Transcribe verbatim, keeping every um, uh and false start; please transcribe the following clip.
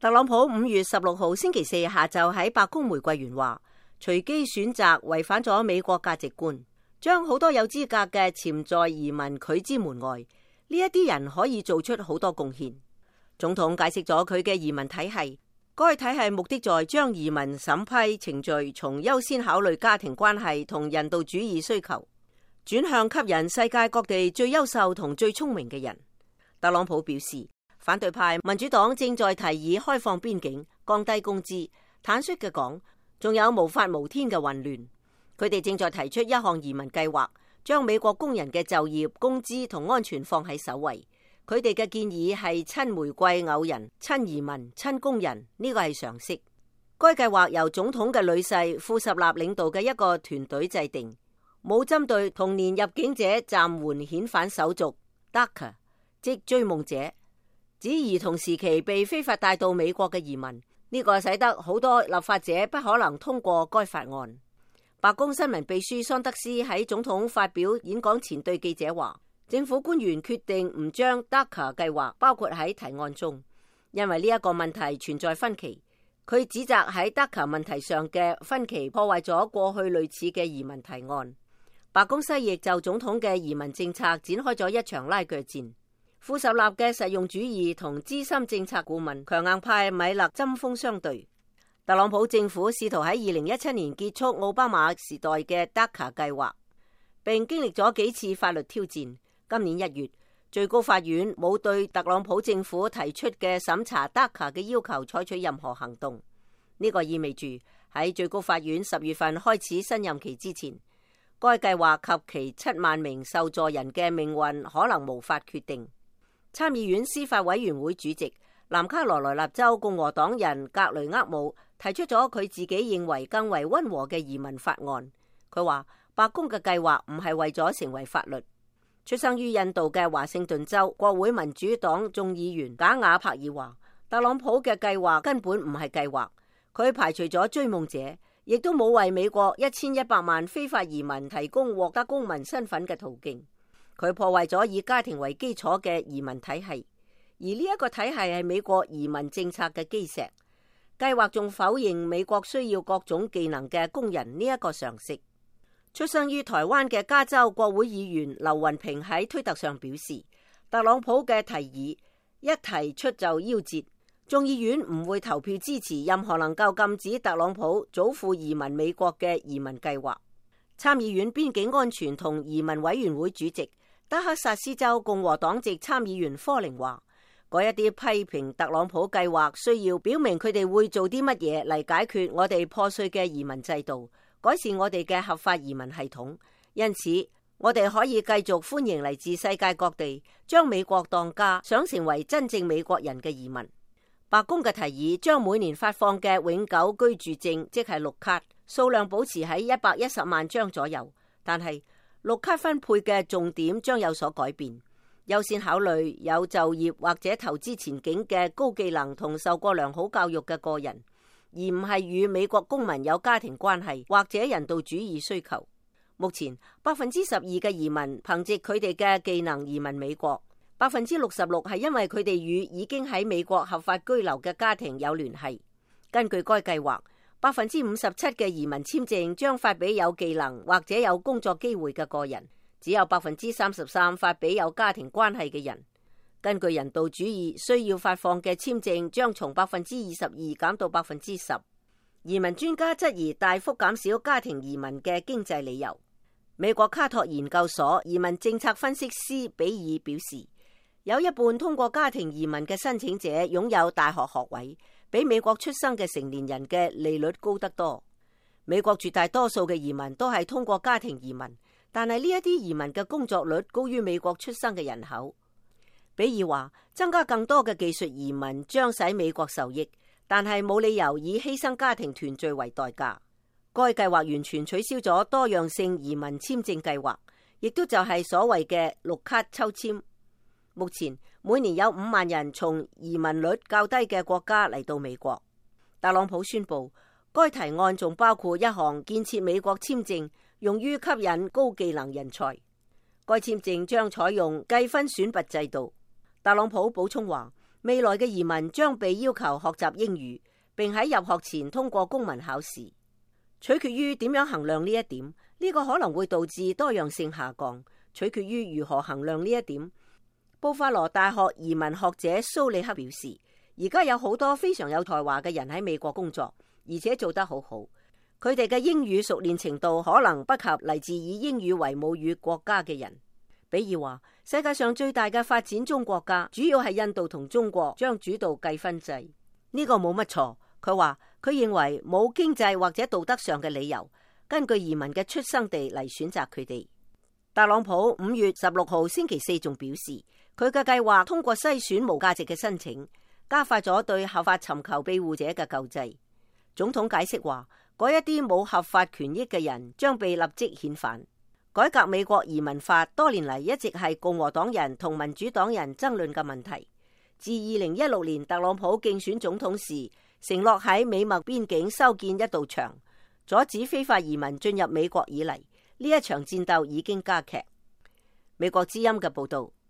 特朗普五月十六號星期四下晝喺白宮玫瑰園話，隨機選擇違反咗美國價值觀，將好多有資格嘅潛在移民拒之門外。呢一啲人可以做出好多貢獻。總統解釋咗佢嘅移民體系，該體系目的在將移民審批程序從優先考慮家庭關係同人道主義需求，轉向吸引世界各地最優秀同最聰明嘅人。特朗普表示，反對派民主黨正在提議開放邊境、降低工資，坦率嘅講，仲有無法無天嘅混亂。佢哋正在提出一項移民計劃，將美國工人嘅就業、工資同安全放喺首位。佢哋嘅建議係親玫瑰偶人、親移民、親工人，呢個係常識。該計劃由總統嘅女婿庫什納領導嘅一個團隊制定，冇針對童年入境者暫緩遣返手續 D A C A， 即追夢者，指兒童時期被非法帶到美國嘅移民。呢個使得好多立法者不可能通過該法案。白宮新聞秘書桑德斯喺總統發表演講前對記者話，政府官員決定唔將 D A C A 計劃包括喺提案中，因為呢一個問題存在分歧。佢指責喺 D A C A 問題上嘅分歧破壞咗過去類似嘅移民提案。白宮西翼就總統嘅移民政策展開咗一場拉鋸戰。庫什納嘅實用主義同資深政策顧問強硬派米勒針鋒相對。特朗普政府試圖喺二零一七年結束奧巴馬時代嘅 D A C A 計劃，並經歷咗幾次法律挑戰。今年一月，最高法院冇對特朗普政府提出嘅審查 D A C A 嘅要求採取任何行動。呢個意味住喺最高法院十月份開始新任期之前，該計劃及其七萬名受助人嘅命運可能無法決定。參議院司法委員會主席南卡羅來納州共和黨人格雷厄姆提出咗佢自己認為更為溫和嘅移民法案。佢話白宮嘅計劃唔係為咗成為法律。出生於印度嘅華盛頓州國會民主黨眾議員賈瓦柏爾話，特朗普嘅計劃根本唔係計劃，佢排除咗追夢者，亦都冇為美國一千一百萬非法移民提供獲得公民身份嘅途徑。佢破壞咗以家庭為基礎嘅移民體系，而呢一個體系係美國移民政策嘅基石。計劃仲否認美國需要各種技能嘅工人呢一個常識。出生於台灣嘅加州國會議員劉雲平喺推特上表示，特朗普嘅提議一提出就夭折，眾議院唔會投票支持任何能夠禁止特朗普祖父移民美國嘅移民計劃。參議院邊境安全同移民委員會主席德克薩斯州共和黨籍參議員科寧話，嗰一啲批評特朗普計劃需要表明佢哋會做啲乜嘢嚟解決我哋破碎嘅移民制度，改善我哋嘅合法移民系統。因此，我哋可以繼續歡迎嚟自世界各地將美國當家、想成為真正美國人嘅移民。白宮嘅提議將每年發放嘅永久居住證，即係綠卡，數量保持喺一百一十萬張左右，但係綠卡分配嘅重點將有所改變，優先考慮有就業或者投資前景嘅高技能同受過良好教育嘅個人，而唔係與美國公民有家庭關係或者人道主義需求。目前百分之十二嘅移民憑借佢哋嘅技能移民美國，百分之六十六係因為佢哋與已經喺美國合法居留嘅家庭有聯繫。根據該計劃，百分之五十七嘅移民簽證將發俾有技能或者有工作機會嘅個人，只有百分之三十三發俾有家庭關係嘅人。根據人道主義需要發放嘅簽證將從百分之二十二減到百分之十。移民專家質疑大幅減少家庭移民嘅經濟理由。美國卡托研究所移民政策分析師比爾表示，有一半通過家庭移民嘅申請者擁有大學學位，比美國出生嘅成年人嘅利率高得多。美國絕大多數嘅移民都係通過家庭移民，但係呢一啲移民嘅工作率高於美國出生嘅人口。比爾話，增加更多嘅技術移民將使美國受益，但係冇理由以犧牲家庭團聚為代價。該計劃完全取消咗多樣性移民簽證計劃，亦都就係所謂嘅綠卡抽籤。目前每年有五萬人從移民率較低嘅國家嚟到美國。特朗普宣布，該提案仲包括一項建設美國簽證，用於吸引高技能人才。該簽證將採用計分選拔制度。特朗普補充話，未來嘅移民將被要求學習英語，並喺入學前通過公民考試。取決於點樣衡量呢一點，呢個可能會導致多樣性下降。取決於如何衡量呢一點。布法羅大學移民學者蘇里克表示，而家有好多非常有才華嘅人喺美國工作，而且做得好好。佢哋嘅英語熟練程度可能不及嚟自以英語為母語國家嘅人。比爾話，世界上最大嘅發展中國家主要係印度同中國將主導計分制，呢個冇乜錯。佢話佢認為冇經濟或者道德上嘅理由根據移民嘅出生地嚟選擇佢哋。特朗普五月十六號星期四仲表示，佢嘅計劃通過篩選無價值嘅申請，加快咗對合法尋求庇護者嘅救濟。總統解釋話，嗰一啲冇合法權益嘅人將被立即遣返。改革美國移民法多年嚟一直係共和黨人同民主黨人爭論嘅問題。自二零一六年特朗普競選總統時，承諾喺美墨邊境修建一道牆，阻止非法移民進入美國以嚟，呢一場戰鬥已經加劇。美國之音嘅報道。